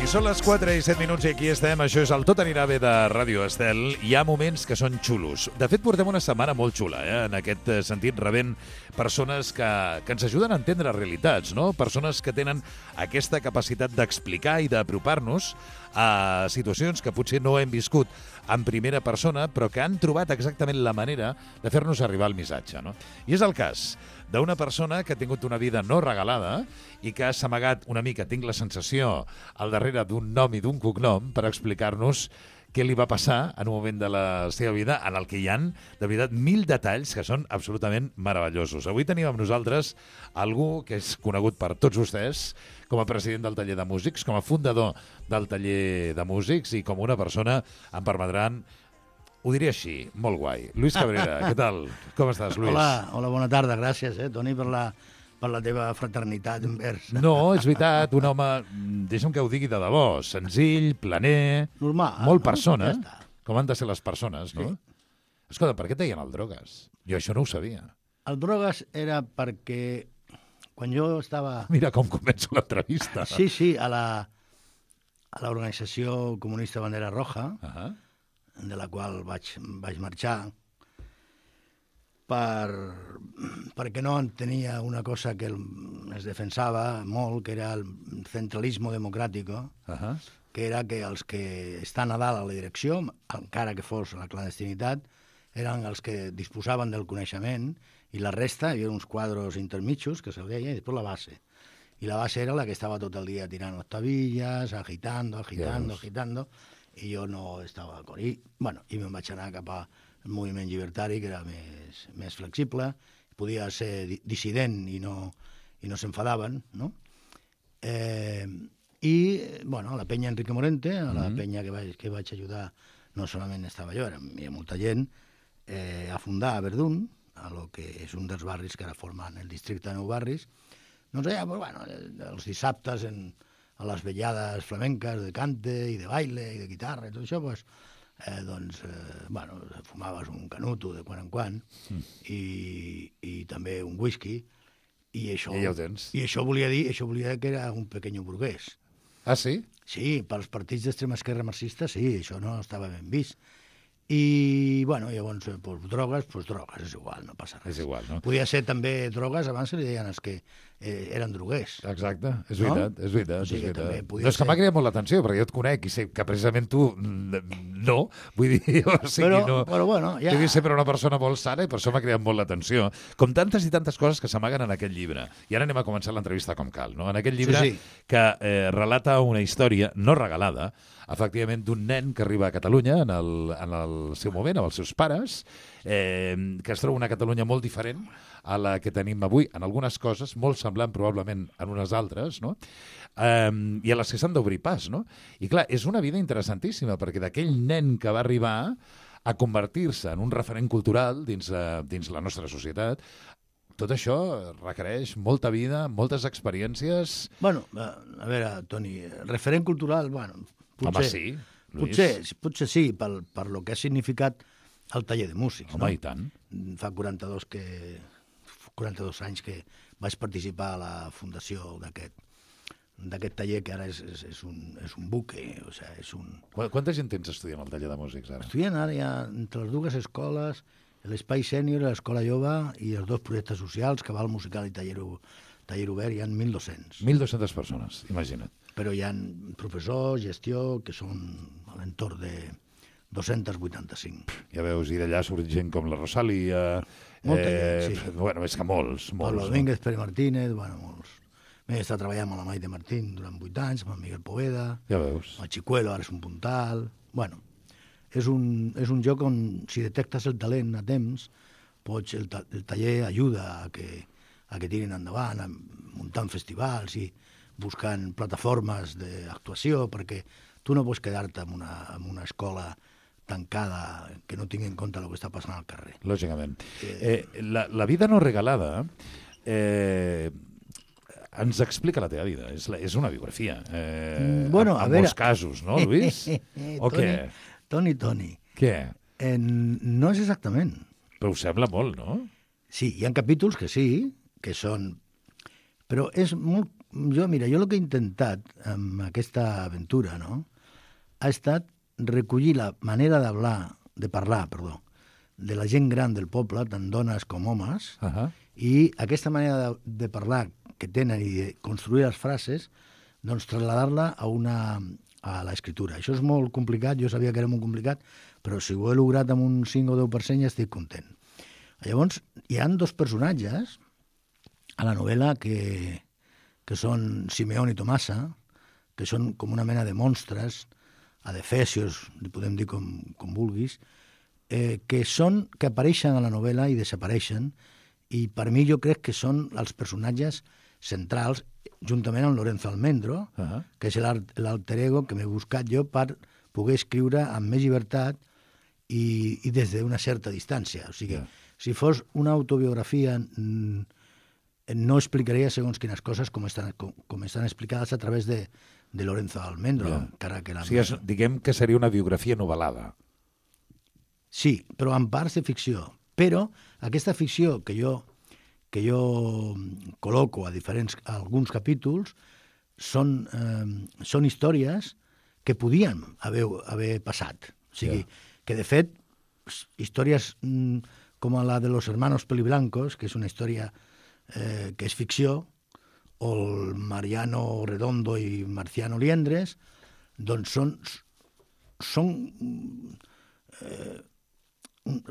I són les 4 i 7 minuts i aquí estem. Això és el Tot anirà bé de Ràdio Estel. Hi ha moments que són xulos. De fet, portem una setmana molt xula, en aquest sentit, rebent persones que ens ajuden a entendre realitats, no? Persones que tenen aquesta capacitat d'explicar i d'apropar-nos a situacions que potser no hem viscut en primera persona, però que han trobat exactament la manera de fer-nos arribar el missatge, no? I és el cas d'una persona que ha tingut una vida no regalada i que s'ha amagat una mica, tinc la sensació, al darrere d'un nom i d'un cognom per explicar-nos què li va passar en un moment de la seva vida en el que hi han, de veritat, 1000 detalls que són absolutament meravellosos. Avui tenim amb nosaltres algú que és conegut per tots vostès com a president del taller de músics, com a fundador del taller de músics i com una persona, em permetran, ho diré així, molt guai. Lluís Cabrera, què tal? Com estàs, Lluís? Hola, bona tarda, gràcies, Toni, per la teva fraternitat envers. No, és veritat, un home, deixa'm que ho digui de debò, senzill, planer, normal, molt no? persona, Ja està. com han de ser les persones, no? Sí. Escolta, per què et deien el drogues? Jo això no ho sabia. El drogues era perquè quan jo estava... Mira com començo l'entrevista. Sí, a l'organització comunista Bandera Roja, de la qual vaig marxar, perquè no entenia una cosa que es defensava molt, que era el centralismo democrático, que era que els que estan a dalt a la direcció, encara que fos la clandestinitat, eren els que disposaven del coneixement, i la resta, hi havia uns quadros intermitjos, que se'l deia, i després la base. I la base era la que estava tot el dia tirant octavillas, agitando, i jo no estava con ell. I me'n vaig anar cap al moviment llibertari, que era més flexible, podia ser dissident i no s'enfadaven, no? I, a la penya Enrique Morente, a la penya que vaig ajudar, no solament estava jo, hi havia molta gent, a fundar a Verdún, a lo que és un dels barris que ara formen el districte de Nou Barris. Doncs allà, els dissabtes a les vetllades flamenques de cante i de baile i de guitarra i tot això, fumaves un canuto de quan en quan i també un whisky i això, I ja ho tens. I això volia dir que era un pequeño burguès. Ah, sí? Sí, pels partits d'extrema esquerra marxista, sí, això no estava ben vist. I, llavors, drogues, és igual, no passa res. És igual, no? Podia ser també drogues, abans se li deien els que eren droguers. Exacte, és veritat, no? és veritat. O sigui, és veritat. també No, és que m'ha cridat molt l'atenció, perquè jo et conec i sé que precisament tu no, vull dir, o sigui, però ja... Devi ser per una persona molt sana i per això m'ha cridat molt l'atenció. Com tantes i tantes coses que s'amaguen en aquest llibre. I ara anem a començar l'entrevista com cal, no? En aquest llibre que relata una història no regalada, efectivament, d'un nen que arriba a Catalunya en el seu moment, amb els seus pares, que es troba una Catalunya molt diferent a la que tenim avui, en algunes coses, molt semblant probablement en unes altres, no? I a les que s'han d'obrir pas, no? I clar, és una vida interessantíssima, perquè d'aquell nen que va arribar a convertir-se en un referent cultural dins la nostra societat, tot això requereix molta vida, moltes experiències... A veure, Toni, referent cultural, potser... Home, sí, Lluís. Potser sí, per lo que ha significat el taller de músics. Home, i tant. Fa 42 anys que vaig participar a la fundació d'aquest taller, que ara és un buque. O sigui, és un... Quanta gent tens estudiant al taller de músics, ara? Estudiant ara hi ha entre les dues escoles, l'Espai Sènior, l'Escola Jove i els dos projectes socials, Cabal Musical i Taller Obert, hi ha 1.200. 1.200 persones, imagina't. Però hi ha professors, gestió, que són a l'entorn de 285. Ja veus, i d'allà surt gent com la Rosalia... Molta gent, sí. És que molts. Pablo Domínguez, Pere Martínez, molts. M'he estat treballant amb la Maite Martín durant 8 anys, amb el Miguel Poveda, ja veus. El Chicuelo, ara és un puntal... És un lloc on, si detectes el talent a temps, el taller ajuda a que tirin endavant, muntant festivals i buscant plataformes d'actuació, perquè tu no pots quedar-te en una escola tancada que no tingui en compte el que està passant al carrer. Lògicament. La vida no regalada ens explica la teva vida. És una biografia. En molts casos, no, Lluís? O què? Toni. Què? No és exactament. Però ho sembla molt, no? Sí, hi ha capítols que sí, que són... Però és molt jo el que he intentat amb aquesta aventura, no?, ha estat recollir la manera de parlar, de la gent gran del poble, tant dones com homes, i aquesta manera de parlar que tenen i de construir les frases, doncs traslladar-la a l'escriptura. Això és molt complicat, jo sabia que era molt complicat, però si ho he lograt amb un 5 o 10% ja estic content. Llavors, hi ha 2 personatges a la novel·la que són Simeón i Tomasa, que són com una mena de monstres, adefesios, li podem dir com vulguis, que apareixen a la novel·la i desapareixen, i per mi jo crec que són els personatges centrals, juntament amb Lorenzo Almendro, que és l'alter ego que m'he buscat jo per poder escriure amb més llibertat i des d'una certa distància. O sigui, si fos una autobiografia, no explicaria segons quines coses com estan explicades a través de Lorenzo Almendro. Diguem que seria una biografia novel·lada. Sí, però en parts de ficció. Però aquesta ficció que jo col·loco a alguns capítols són històries que podien haver passat. O sigui, que de fet, històries com la de los hermanos Peliblancos, que és una història que és ficció, o el Mariano Redondo i Marciano Liendres, doncs són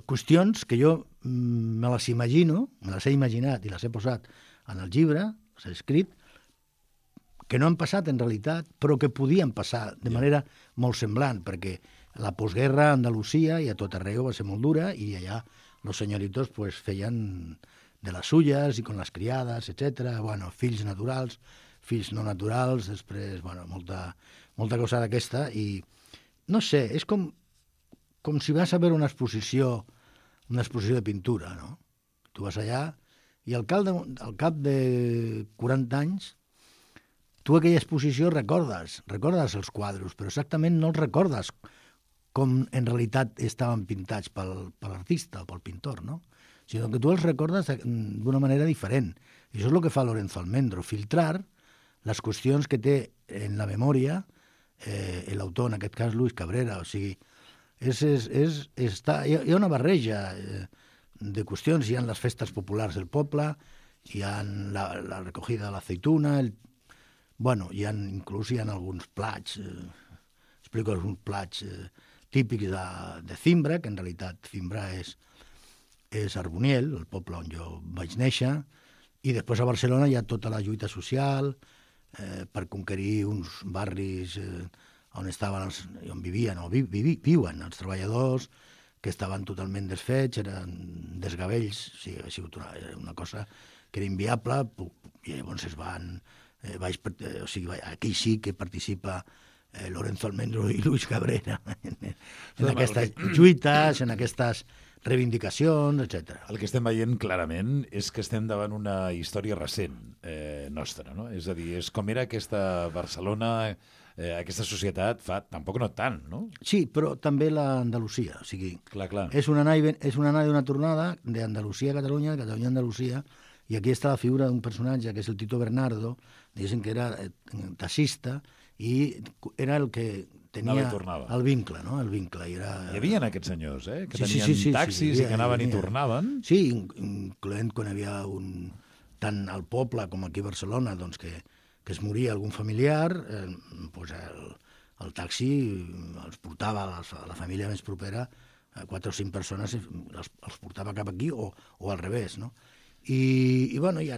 qüestions que jo me les imagino, me les he imaginat i les he posat en el llibre, les he escrit, que no han passat en realitat, però que podien passar de manera molt semblant, perquè la postguerra a Andalusia i a tot arreu va ser molt dura, i allà los señoritos pues feien de les suyes i con les criades, etc. Bueno, fills naturals, fills no naturals, després, bueno, molta cosa d'aquesta, i no sé, és com si vas a veure una exposició de pintura, no? Tu vas allà i al cap de 40 anys tu aquella exposició recordes els quadres, però exactament no els recordes com en realitat estaven pintats per l'artista o pel pintor, no? Sinó que tu els recordes d'una manera diferent. I això és el que fa Lorenzo Almendro, filtrar les qüestions que té en la memòria l'autor, en aquest cas Luis Cabrera. O sigui, hi ha una barreja de qüestions. Hi ha les festes populars del poble, hi ha la recogida de l'aceituna, inclús hi ha alguns plats, explico alguns plats típics de Zimbra, que en realitat Zimbra és Arboniel, el poble on jo vaig néixer, i després a Barcelona hi ha tota la lluita social per conquerir uns barris on vivien o viuen els treballadors, que estaven totalment desfets, eren desgavells, o sigui, ha sigut una cosa que era inviable, i llavors aquí sí que participa Lorenzo Almendro i Luis Cabrera en aquestes lluites, en aquestes reivindicacions, etc. El que estem veient clarament és que estem davant una història recent nostra, no? És a dir, és com era aquesta Barcelona, aquesta societat fa tampoc no tant, no? Sí, però també l'Andalusia, o sigui, clar. És una anada i una tornada d'Andalusia a Catalunya, de Catalunya a Andalusia, i aquí està la figura d'un personatge que és el Tito Bernardo, diguéssim que era taxista, i era el que tenia el vincle, no? El vincle. Hi havia aquests senyors, que tenien taxis i que anaven i tornaven. Sí, incloent quan hi havia tant al poble com aquí a Barcelona, doncs que es moria algun familiar, doncs el taxi els portava a la família més propera, 4 o 5 persones els portava cap aquí o al revés, no? I bueno, hi ha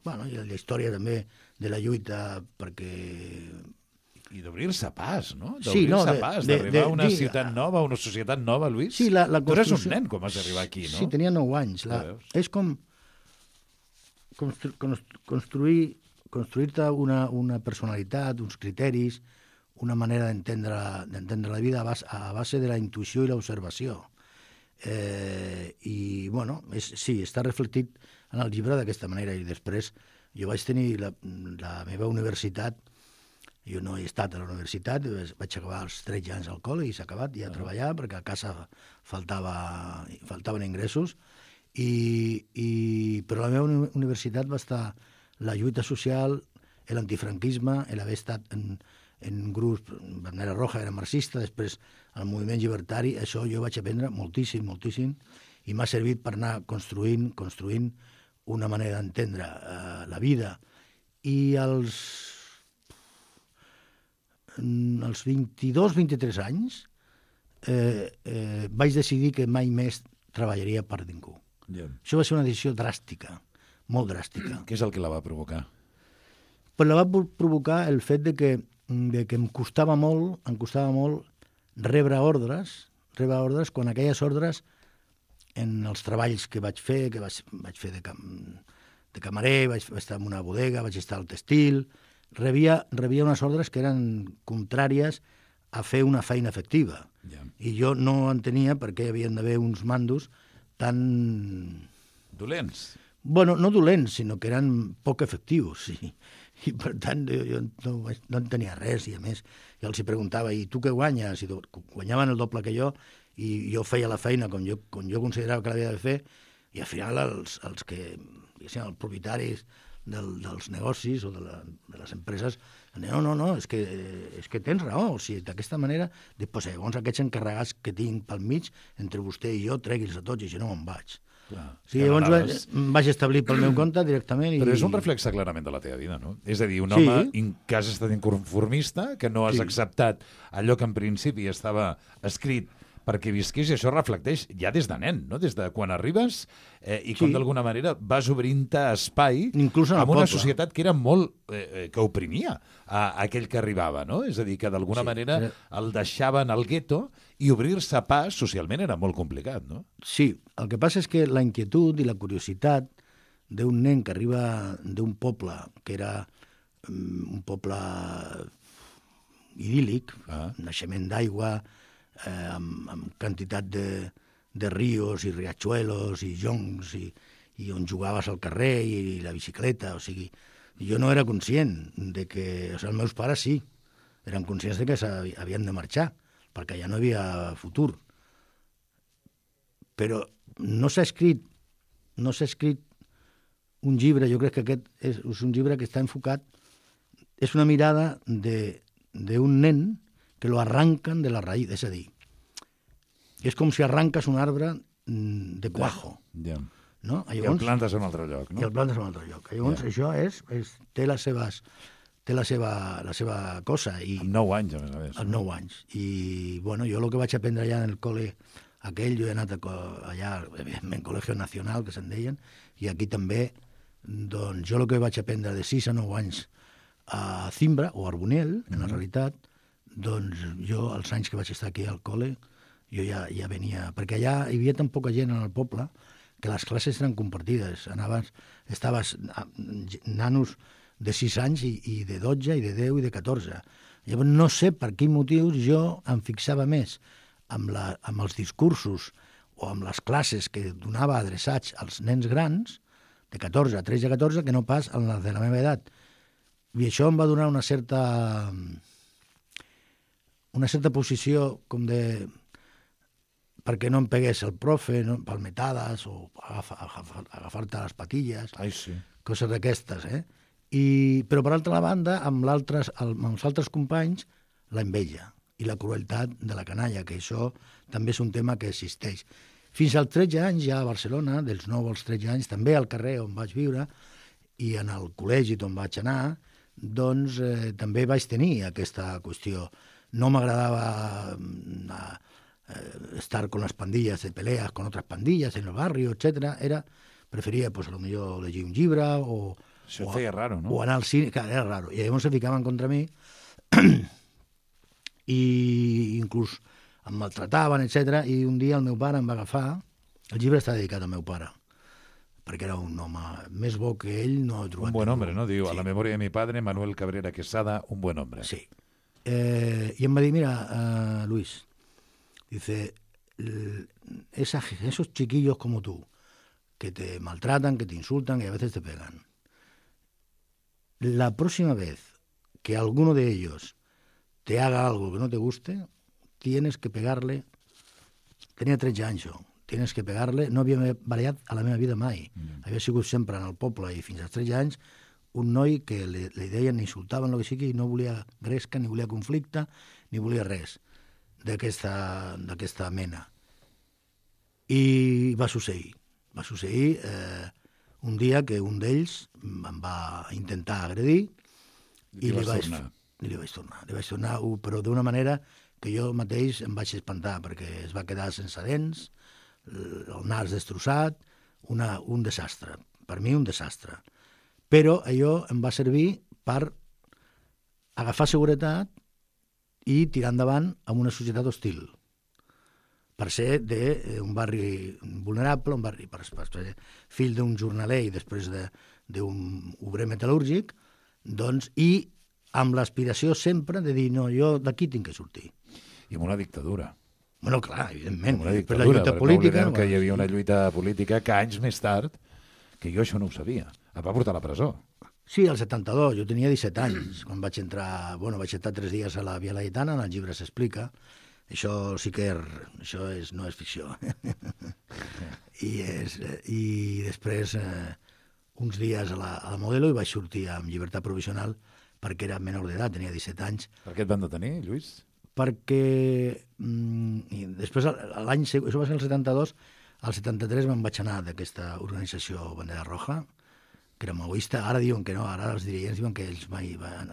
la història també de la lluita perquè... I d'obrir-se pas, no? D'obrir-se pas, d'arribar a una ciutat nova, a una societat nova, Luis. Sí, tu eres un nen quan vas arribar aquí, no? Sí, tenia 9 anys. És com construir-te una personalitat, uns criteris, una manera d'entendre la vida a base de la intuïció i l'observació. I, bueno, sí, està reflectit en el llibre d'aquesta manera. I després jo vaig tenir la meva universitat. Jo no he estat a la universitat, vaig acabar als 13 anys al col·le i s'ha acabat ja a treballar perquè a casa faltaven ingressos, però la meva universitat va estar la lluita social, l'antifranquisme, l'haver estat en grups, Bandera Roja era marxista, després el moviment llibertari, això jo vaig aprendre moltíssim, moltíssim, i m'ha servit per anar construint una manera d'entendre la vida. I als 22-23 anys vaig decidir que mai més treballaria per ningú. Això va ser una decisió dràstica, molt dràstica. Què és el que la va provocar? Però la va provocar el fet de que em costava molt rebre ordres quan aquelles ordres, en els treballs que vaig fer de camarer, vaig estar en una bodega, vaig estar al textil, rebia unes ordres que eren contràries a fer una feina efectiva. I jo no entenia per què hi havien d'haver uns mandos tan... Dolents? Bueno, no dolents, sinó que eren poc efectius, sí. I per tant jo no entenia res, i a més jo els preguntava, i tu què guanyes? I guanyaven el doble que jo, i jo feia la feina com jo considerava que l'havia de fer, i al final els propietaris dels negocis o de les empreses no, és que tens raó, o sigui, d'aquesta manera, doncs llavors aquests encarregats que tinc pel mig, entre vostè i jo, tregui'ls a tots i si no me'n vaig. Sí, llavors vaig establir pel meu compte directament. Però és un reflexe clarament de la teva vida, no? És a dir, un home que has estat inconformista, que no has acceptat allò que en principi estava escrit perquè visqués, i això reflecteix ja des de nen, no? Des de quan arribes i com d'alguna manera vas obrint-te espai amb una societat que era molt... que oprimia a aquell que arribava, no? És a dir, que d'alguna manera el deixaven al gueto i obrir-se pas socialment era molt complicat, no? Sí, el que passa és que la inquietud i la curiositat d'un nen que arriba d'un poble que era un poble idíl·lic, naixement d'aigua, amb quantitat de rios i riachuelos i joncs i on jugaves al carrer i la bicicleta, o sigui, jo no era conscient de que... O sigui, els meus pares sí, eren conscients de que havien de marxar, perquè ja no hi havia futur. Però no s'ha escrit un llibre, jo crec que aquest és un llibre que està enfocat, és una mirada d'un nen que lo arrancan de la raïz, és a dir, és com si arranques un arbre de cuajo. No? I el plantes en un altre lloc, no? I el plantes en un altre lloc. Llavors, això té la seva cosa. Amb 9 anys, a més a més. Amb 9 anys. I, bueno, jo el que vaig aprendre allà en el col·le aquell, jo he anat allà, evidentment, Col·legio Nacional, que se'n deien, i aquí també, doncs, jo el que vaig aprendre de 6 a 9 anys a Zimbra, o Arbonell, en la realitat, doncs jo, els anys que vaig estar aquí al col·le, jo ja venia... Perquè allà hi havia tan poca gent en el poble que les classes eren compartides. Estaves nanos de 6 anys i de 12, i de 10, i de 14. Llavors no sé per quin motius jo em fixava més amb els discursos o amb les classes que donava adreçats als nens grans, de 14 a 13 a 14, que no pas en les de la meva edat. I això em va donar una certa posició com de... perquè no em pegués el profe, no? Palmetades o agafar-te les patilles, coses d'aquestes, Però, per altra banda, amb els altres companys, la enveja i la crueltat de la canalla, que això també és un tema que existeix. Fins als 13 anys, ja a Barcelona, dels 9 als 13 anys, també al carrer on vaig viure i en el col·legi on vaig anar, doncs també vaig tenir aquesta qüestió. No m'agradava estar con las pandillas de peleas con otras pandillas en el barrio, etcétera. Preferia, pues, a lo millor llegir un llibre o... Això feia raro, no? O anar al cine, clar, era raro. I llavors se ficaven contra mi i inclús em maltrataven, etcétera. I un dia el meu pare em va agafar... El llibre està dedicat al meu pare, perquè era un home més bo que ell, no he trobat... Un buen hombre, no? Diu, a la memòria de mi padre, Manuel Cabrera Quesada, un buen hombre. Sí. I em va dir, mira, Luis, dice, esos chiquillos como tú, que te maltratan, que te insultan y a veces te pegan, la próxima vez que alguno de ellos te haga algo que no te guste, tienes que pegarle. Tenia 13 anys jo. Tienes que pegarle. No havia barallat a la meva vida mai. Havia sigut sempre en el poble i fins als 13 anys un noi que li deien, insultaven el que sigui, i no volia gresca, ni volia conflicte, ni volia res d'aquesta mena. I va succeir. Va succeir un dia que un d'ells em va intentar agredir i li vaig tornar, però d'una manera que jo mateix em vaig espantar, perquè es va quedar sense dents, el nas destrossat, un desastre. Per mi, un desastre. Però allò em va servir per agafar seguretat i tirar endavant amb una societat hostil. Per ser d'un barri vulnerable, un barri per ser fill d'un jornaler i després d'un obrer metal·lúrgic, doncs, i amb l'aspiració sempre de dir, no, jo d'aquí tinc que sortir. I amb una dictadura. Bueno, clar, evidentment. Una dictadura, la lluita política, no que hi havia una lluita política que anys més tard, que jo això no ho sabia, et va portar a la presó. Sí, al 72, jo tenia 17 anys, quan vaig entrar, vaig estar 3 dies a la Via Laietana, en el llibre s'explica, això sí que no és ficció. I després, uns dies a la Modelo, i vaig sortir amb llibertat provisional perquè era menor d'edat, tenia 17 anys. Per què et van detenir, Lluís? Perquè després, l'any següent, això va ser el 72, al 73 me'n vaig anar d'aquesta organització Bandera Roja, que era maoista. Ara diuen que no, ara els dirigents diuen que ells mai han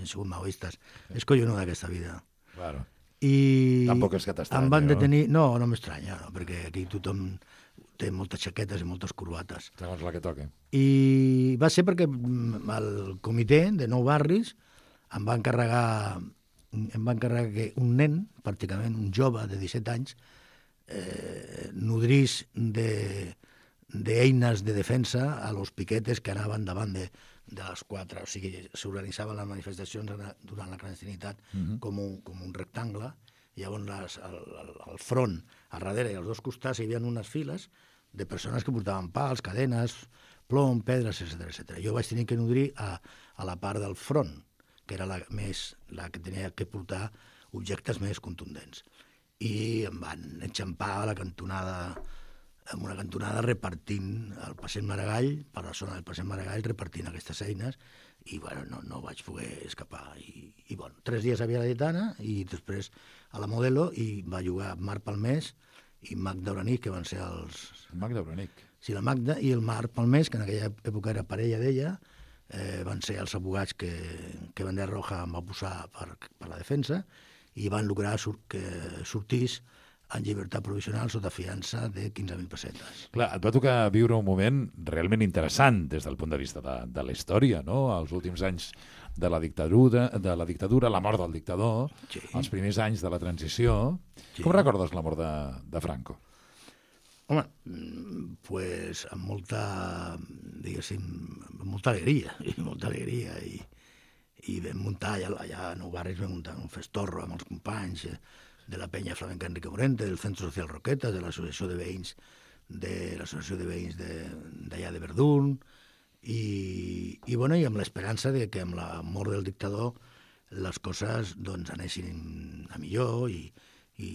sigut maoistes. És collonut d'aquesta vida. Claro. I tampoc és que t'estranya, em van detenir... No, no m'estranya, no, perquè aquí tothom té moltes xaquetes i moltes corbates. Segons la que toqui. I va ser perquè el comitè de 9 barris em va encarregar que un nen, pràcticament un jove de 17 anys, nodrís d'eines de defensa a los piquetes que anaven davant de les 4. O sigui, s'organitzaven les manifestacions durant la clandestinitat com un rectangle. Llavors, al front, a darrere i als dos costats hi havia unes files de persones que portaven pals, cadenes, plom, pedres, etc. Jo vaig tenir que nodrir a la part del front, que era la que tenia que portar objectes més contundents. I em van enxampar a la cantonada, en una cantonada repartint el Passeig Maragall, per la zona del Passeig Maragall, repartint aquestes eines, i no vaig poder escapar. I 3 dies a Via Laietana, i després a la Modelo, i va jugar Marc Palmés i Magda Branic, que van ser els... Magda Branic. Sí, la Magda i el Marc Palmés, que en aquella època era parella d'ella, van ser els abogats que Bandera Roja em va posar per la defensa, i van lograr que sortís en llibertat provisional sota fiança de 15.000 pessetes. Clar, et va tocar viure un moment realment interessant des del punt de vista de la història, no? Els últims anys de la dictadura, la mort del dictador, sí. Els primers anys de la transició. Sí. Com recordes la mort de Franco? Home, pues amb molta, diguéssim, molta alegria, i vam muntar allà a Nou Barris, vam muntar un festorro amb els companys de la penya flamenca Enrique Morente, del Centre Social Roquetes, de l'associació de veïns d'allà de Verdun, i amb l'esperança de que amb la mort del dictador les coses doncs anessin a millor i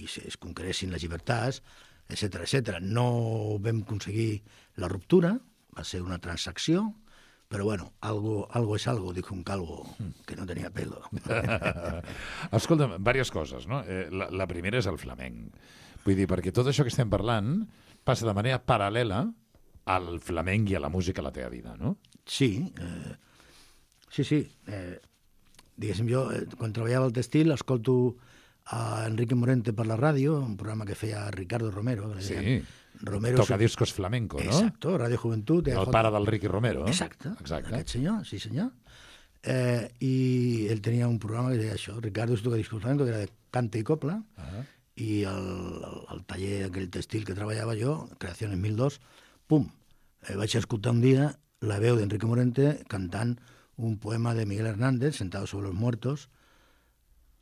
es conqueressin les llibertats, etc. No vam aconseguir la ruptura, va ser una transacció, però bueno, algo es algo, dijo un calvo que no tenia pelo. Escolta'm, diverses coses, no? La primera és el flamenc. Vull dir, perquè tot això que estem parlant passa de manera paral·lela al flamenc i a la música a la teva vida, no? Sí. Diguéssim, jo, quan treballava al Textil, escolto a Enrique Morente per la ràdio, un programa que feia Ricardo Romero. Sí, tocadiscos flamenco, no? Exacto, Radio Juventud. El pare del Ricky Romero. Exacte. Aquest senyor, sí senyor. I ell tenia un programa que deia això, Ricardo tocadiscos flamenco, que era de cante i copla, i el taller aquell Textil que treballava jo, Creaciones 1002, vaig escoltar un dia la veu d'Enrique Morente cantant un poema de Miguel Hernández, Sentado sobre los muertos,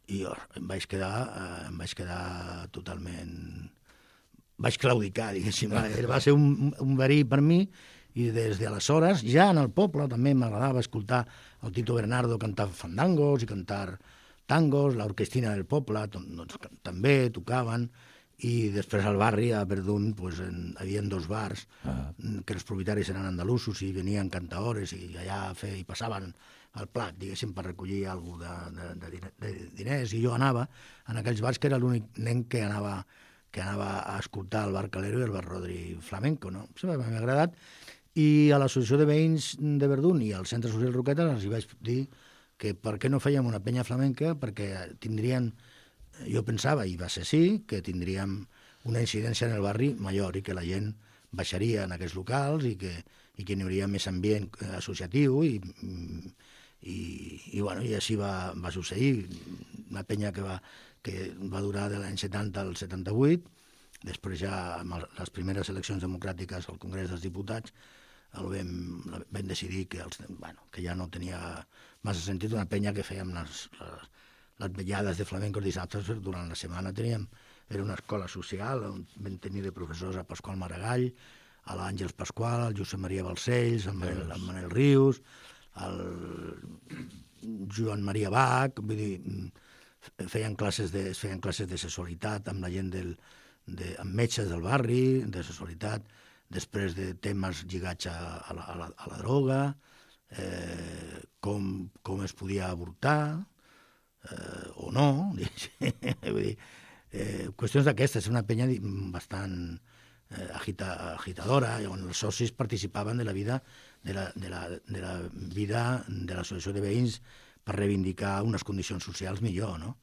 i em vaig quedar totalment... Vaig claudicar, diguéssim. Va ser un verí per mi, i des d'aleshores, ja en el poble, també m'agradava escoltar el Tito Bernardo cantar fandangos i cantar tangos, l'orquestina del poble, doncs, també tocaven, i després al barri, a Verdun, pues, hi havia 2 bars que els propietaris eren andalusos i venien cantaores i allà hi passaven el plat, diguéssim, per recollir alguna cosa de diners, i jo anava en aquells bars, que era l'únic nen que anava a escoltar el bar Calero i el bar Rodri flamenco, no? Sempre m'ha agradat. I a l'associació de veïns de Verdun i al centre social Roquetes els hi vaig dir que per què no fèiem una penya flamenca, perquè tindrien, jo pensava, i va ser sí, que tindríem una incidència en el barri major i que la gent baixaria en aquests locals i que hi hauria més ambient associatiu i així va succeir. Una penya que va durar de l'any 70 al 78, després ja amb les primeres eleccions democràtiques al Congrés dels Diputats vam decidir que ja no tenia massa sentit una penya que fèiem les vetllades de flamencos dissabtes, però durant la setmana era una escola social on vam tenir de professors a Pasqual Maragall, a l'Àngels Pasqual, al Josep Maria Balcells, al Manel Rius, al Joan Maria Bach, vull dir, feien classes de sexualitat amb la gent amb metges del barri, de sexualitat, després de temes lligats a la droga, com es podia avortar, o no, vull dir, qüestions d'aquestes. És una penya bastant agitadora, on els socis participaven de la vida de l'associació de veïns per reivindicar unes condicions socials millor, no?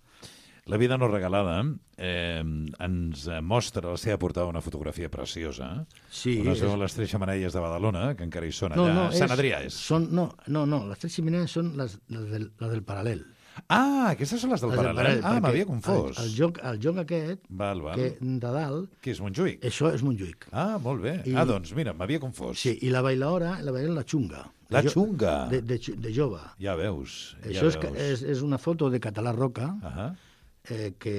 La vida no regalada ens mostra la seva portada una fotografia preciosa. Sí. On es veuen les 3 xemeneies de Badalona, que encara hi són allà. Sant Adrià és. No, les 3 xemeneies són les del Paral·lel. Ah, aquestes són les del Paral·lel. Ah, m'havia confós. El joc aquest, que de dalt... Què és, Montjuïc? Això és Montjuïc. Ah, molt bé. Doncs mira, m'havia confós. Sí, i la bailaora, la xunga. La xunga? De jove. Ja veus. Això és una foto de Català Roca, que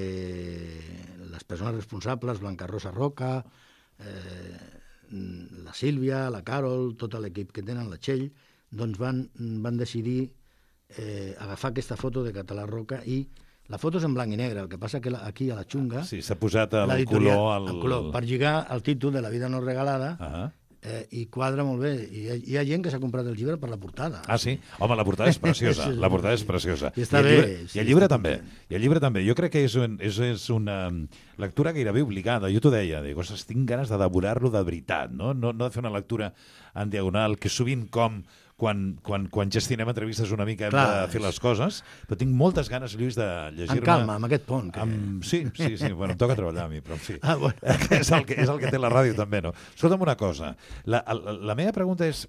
les persones responsables, Blanca Rosa Roca, la Sílvia, la Carol, tot l'equip que tenen, la Txell, doncs van decidir agafar aquesta foto de Català Roca, i la foto és en blanc i negre, el que passa que aquí a la xunga... Sí, s'ha posat el color... El color, per lligar el títol de La vida no regalada, i quadra molt bé. Hi ha gent que s'ha comprat el llibre per la portada. Ah, sí? Home, la portada és preciosa. La portada és preciosa. I està bé. I el llibre també. I el llibre també. Jo crec que és una lectura gairebé obligada. Jo t'ho deia, dic, ostres, tinc ganes de devorar-lo de veritat, no de fer una lectura en diagonal, que sovint quan gestinem entrevistes una mica hem de fer les coses, però tinc moltes ganes, Lluís, de llegir-me... En calma, amb aquest pont. Sí. Bueno, em toca treballar a mi, però en fi. Ah, bueno. És el que té la ràdio també, no? Escolta'm una cosa. La meva pregunta és,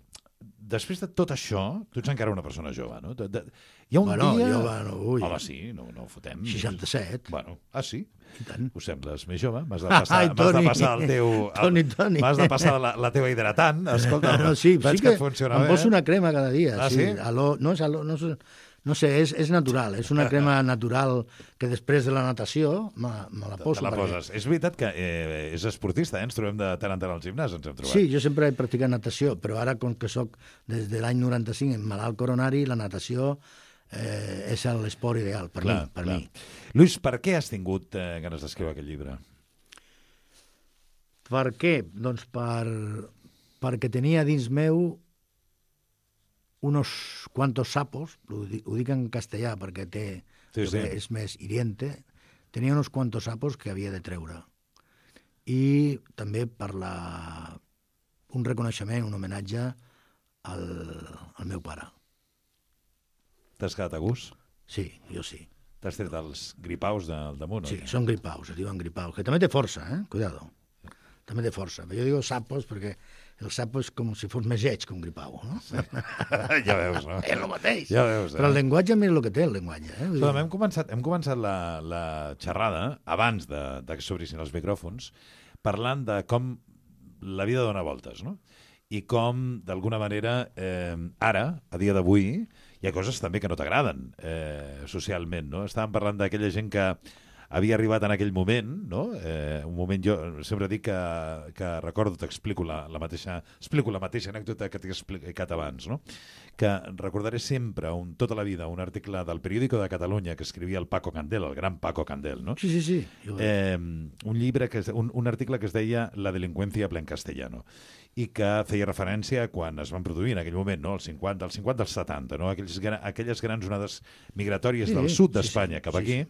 després de tot això, tu ets encara una persona jove, no? Hi ha un dia... Home, sí, no ho fotem. 67. Bueno, sí? I tant. Ho sembles més jove? M'has de passar el teu... Toni. M'has de passar la teva hidratant. Escolta, veig que et funciona bé. Em poso una crema cada dia. Ah, sí? No sé, és natural. És una crema natural que després de la natació me la poso. Te la poses. És veritat que és esportista, ens trobem de tant en tant al gimnàs, ens hem trobat. Sí, jo sempre he practicat natació, però ara, com que soc des de l'any 95 en malalt coronari, la natació és l'esport ideal per mi. Lluís, per què has tingut ganes d'escriure aquest llibre? Per què? Doncs perquè tenia dins meu unos cuantos sapos, ho dic en castellà perquè és més hiriente, tenia unos cuantos sapos que havia de treure. I també per un reconeixement, un homenatge al meu pare. T'has quedat a gust? Sí, jo sí. T'has tret els gripaus del damunt? Sí, són gripaus, es diuen gripaus, que també té força, cuidado. També té força. Jo digo sapos perquè el sapo és com si fos més lleig que un gripau, no? Sí. Ja veus, no? És el mateix. Ja veus, Però el llenguatge, mira el que té, el llenguatge. Escolta, hem començat la xerrada, abans de que s'obrissin els micròfons, parlant de com la vida dona voltes, no? I com, d'alguna manera, ara, a dia d'avui, hi ha coses també que no t'agraden socialment, no? Estàvem parlant d'aquella gent que havia arribat en aquell moment, no? Un moment, jo sempre dic que recordo, explico la mateixa anècdota que t'he explicat abans, no? Que recordaré sempre, tota la vida, un article del Periódico de Catalunya que escrivia el Paco Candel, el gran Paco Candel, no? Sí. Un article que es deia La delinqüència ple en castellano, i que feia referència a quan es van produir en aquell moment, no? als 50 als 70, no? Aquelles grans onades migratòries del sud d'Espanya cap aquí,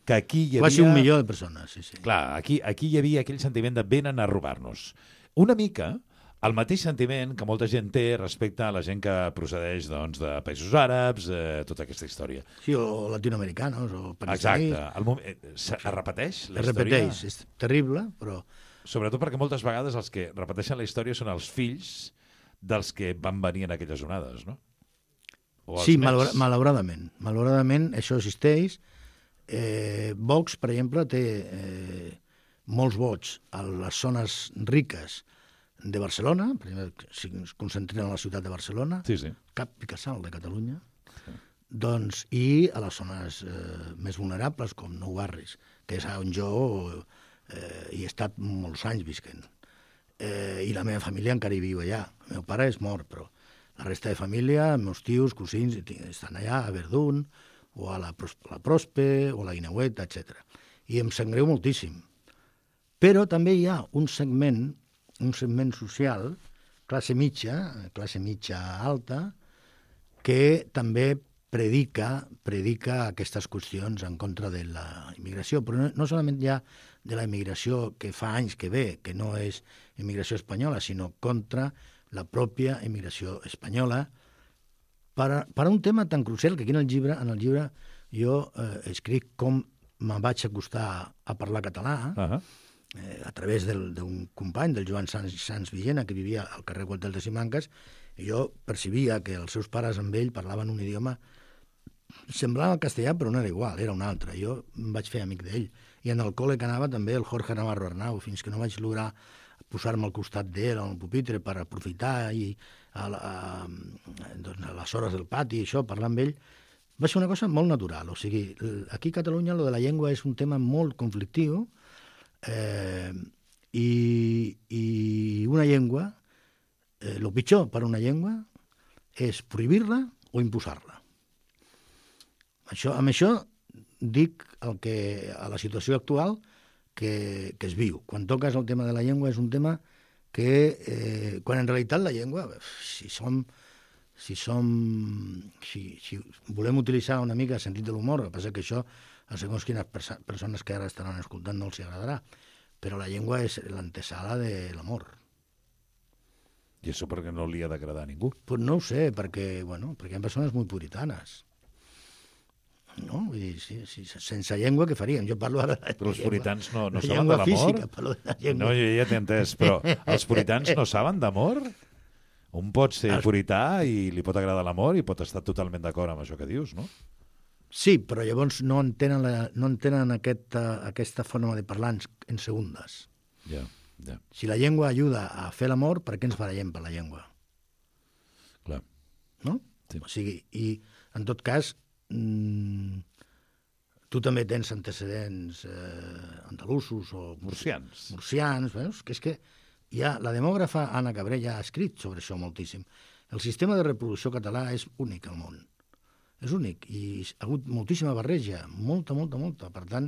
que aquí hi havia... Quasi 1 milió de persones, sí. Clar, aquí hi havia aquell sentiment de venen a robar-nos. Una mica el mateix sentiment que molta gent té respecte a la gent que procedeix doncs, de països àrabs, tota aquesta història. Sí, o latinoamericanos, o pakistaníes. Exacte. Es repeteix la història? Es repeteix, és terrible, però... Sobretot perquè moltes vegades els que repeteixen la història són els fills dels que van venir en aquelles onades, no? Sí, malauradament. Malauradament això existeix. Vox, per exemple, té molts vots a les zones riques de Barcelona, per exemple, si ens concentrem a la ciutat de Barcelona, cap i casal de Catalunya, doncs, i a les zones més vulnerables, com Nou Barris, que és on jo hi he estat molts anys visquent. I la meva família encara hi viu allà. El meu pare és mort, però la resta de família, els meus tios, cosins, estan allà, a Verdun, o a la Prospe, o a la Guineueta, etc. I em sap greu moltíssim. Però també hi ha un segment social, classe mitja alta, que també predica aquestes qüestions en contra de la immigració, però no solament ja de la immigració que fa anys que ve, que no és immigració espanyola, sinó contra la pròpia immigració espanyola, per un tema tan crucial que aquí en el llibre jo escric com me'n vaig acostar a parlar català, a través d'un company, del Joan Sans Villena, que vivia al carrer Gualtel de Simancas, i jo percebia que els seus pares amb ell parlaven un idioma semblava el castellà, però no era igual, era un altre. Jo em vaig fer amic d'ell. I en el col·le que anava també el Jorge Navarro Arnau, fins que no vaig lograr posar-me al costat d'ell al pupitre per aprofitar i a les hores del pati i això, parlar amb ell, va ser una cosa molt natural. O sigui, aquí a Catalunya lo de la llengua és un tema molt conflictiu i una llengua, el pitjor per una llengua és prohibir-la o imposar-la. Amb això dic a la situació actual que es viu. Quan toques el tema de la llengua és un tema que, quan en realitat la llengua, si volem utilitzar una mica el sentit de l'humor, el que passa que això a segons quines persones que ara estaran escoltant no els agradarà, però la llengua és l'antesala de l'amor. I això perquè no li ha d'agradar a ningú? Pues no ho sé, perquè hi ha persones molt puritanes. No? Vull dir, sense llengua què faríem? Jo parlo ara de però els puritans no saben de llengua l'amor? Física, parlo de la llengua. No, jo ja t'he entès, però els puritans no saben d'amor? Un pot ser purità i li pot agradar l'amor i pot estar totalment d'acord amb això que dius, no? Sí, però llavors no entenen aquesta forma de parlar en segundes. Ja. Si la llengua ajuda a fer l'amor, per què ens barallem per la llengua? Clar. No? Sí. O sigui, i en tot cas, tu també tens antecedents andalusos o murcians, veus? Que és que la demògrafa Anna Cabrella ha escrit sobre això moltíssim. El sistema de reproducció català és únic al món. És únic i ha hagut moltíssima barreja, molta. Per tant,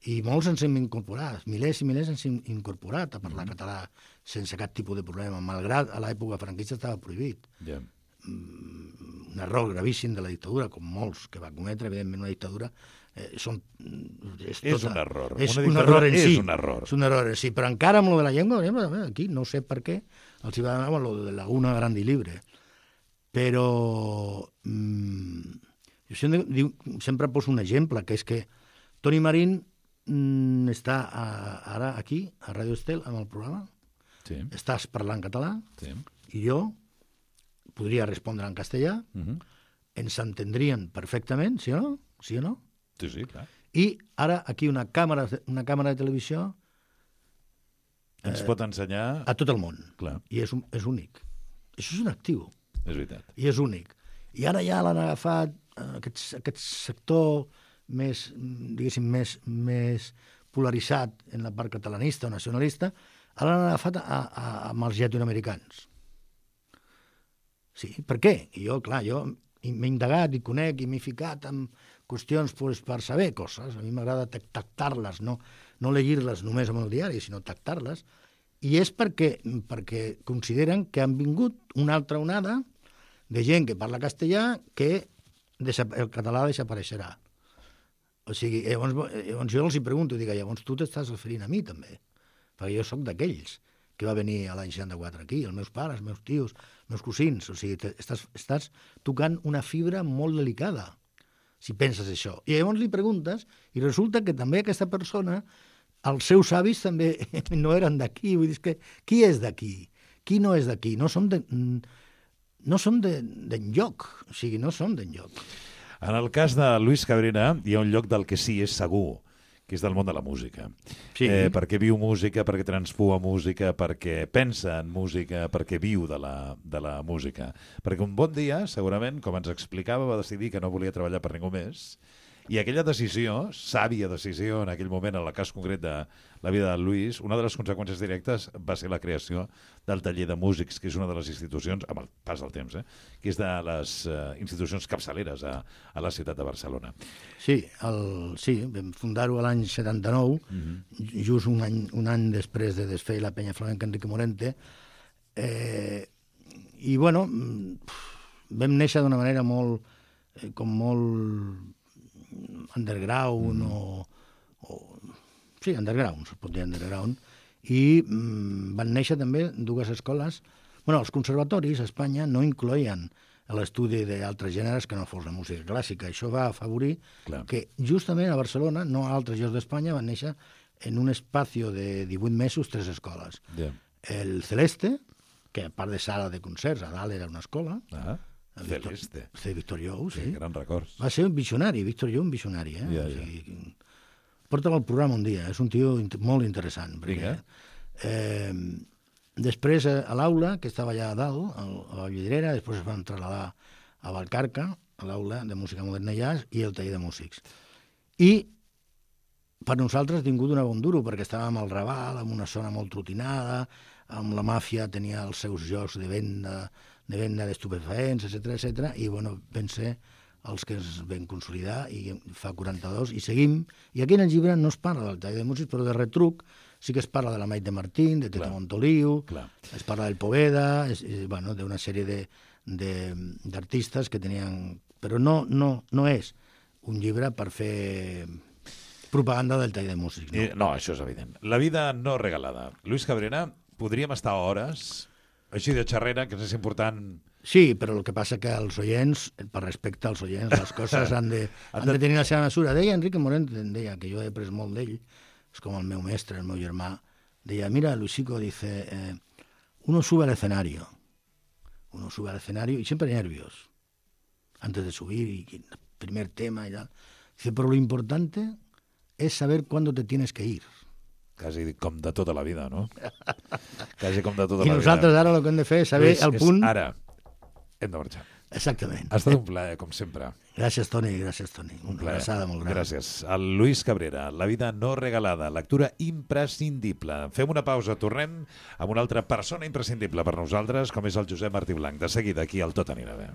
i molts ens hem incorporat, milers i milers ens hem incorporat a parlar català sense cap tipus de problema, malgrat a l'època franquista estava prohibit. Un error gravíssim de la dictadura, com molts que va cometre, evidentment una dictadura és un error. És un error en si. És un error en si, però encara amb lo de la llengua, aquí no sé per què els hi va donar lo de la una grande i libre. Però jo sempre poso un exemple, que és que Toni Marín està ara aquí, a Ràdio Estel, amb el programa. Estàs parlant català i jo podria respondre en castellà, ens entendrien perfectament, sí o no? Sí, clar. I ara aquí una càmera de televisió ens pot ensenyar a tot el món. Clar. I és únic. Això és un actiu. És veritat. I és únic. I ara ja l'han agafat aquest sector diguéssim, més polaritzat en la part catalanista o nacionalista, ara l'han agafat amb els llatinoamericans. Sí, per què? I jo m'he indagat i conec i m'he ficat en qüestions per saber coses. A mi m'agrada tactar-les, no llegir-les només amb el diari, sinó tactar-les. I és perquè consideren que han vingut una altra onada de gent que parla castellà que el català desapareixerà. O sigui, llavors jo els pregunto, dic, llavors tu t'estàs referint a mi també, perquè jo sóc d'aquells que va venir a l'any 64 aquí, els meus pares, els meus tios, els meus cosins, o sigui, estàs tocant una fibra molt delicada, si penses això. I llavors li preguntes, i resulta que també aquesta persona, els seus avis també no eren d'aquí, vull dir que qui és d'aquí? Qui no és d'aquí? No som d'enlloc, o sigui, no som d'enlloc. En el cas de Luis Cabrera hi ha un lloc del que sí és segur, que és del món de la música. Sí. Perquè viu música, perquè transpua música, perquè pensa en música, perquè viu de la música. Perquè un bon dia, segurament, com ens explicava, va decidir que no volia treballar per ningú més. I aquella decisió, sàvia decisió en aquell moment, en el cas concret de la vida de Luis, una de les conseqüències directes va ser la creació del taller de músics, que és una de les institucions, amb el pas del temps, que és de les institucions capçaleres a la ciutat de Barcelona. Sí, vam fundar-ho l'any 79, just un any després de desfer la penya flamenca Enrique Morente, i bueno, vam néixer d'una manera molt underground sí, underground, es pot dir underground, i van néixer també dues escoles. Bueno, els conservatoris a Espanya no incloïen l'estudi d'altres gèneres que no fos la música clàssica. Això va afavorir que justament a Barcelona, no a altres llocs d'Espanya, van néixer en un espacio de 18 mesos 3 escoles. El Celeste, que a part de sala de concerts, a dalt era una escola, Celeste. Víctor Jou, sí. Gran records. Va ser un visionari, Víctor Jou, un visionari. O sigui, porta'l al programa un dia, és un tio molt interessant. Perquè, després, a l'aula, que estava allà a dalt, a la Vallvidrera, després es van trasladar a Vallcarca, a l'aula de música moderna i jazz, i el taller de músics. I per nosaltres ha tingut una bon duro, perquè estàvem al Raval, en una zona molt trotinada, amb la màfia tenia els seus llocs de venda d'estupefaents, etc. I bueno, vam ser els que ens vam consolidar i fa 42 i seguim. I aquí en el llibre no es parla del taller de músics, però de retruc sí que es parla de la Maite Martín, de Tete Montoliu, es parla del Poveda, d'una sèrie d'artistes que tenien... Però no és un llibre per fer propaganda del taller de músics. No, això és evident. La vida no regalada. Luis Cabrera, podríem estar hores... Així de xerrera, que és important... Sí, però el que passa que els oients, per respecte als oients, les coses han de tenir la seva mesura. Deia Enrique Morente, deia, que jo he après molt d'ell, és com el meu mestre, el meu germà, deia, mira, Luisico, dice, uno sube al escenario y siempre nervios, antes de subir, y el primer tema y tal. Dice, pero lo importante es saber cuándo te tienes que ir. Quasi com de tota la vida, no? Quasi com de tota la vida. I nosaltres ara el que hem de fer és saber el punt... Ara, hem de marxar. Exactament. Ha estat un plaer, com sempre. Gràcies, Toni. Un plaer. Una molt gran. Gràcies. El Luis Cabrera, La vida no regalada, lectura imprescindible. Fem una pausa, tornem amb una altra persona imprescindible per nosaltres, com és el Josep Martí Blanc. De seguida, aquí al Tot anirà bé.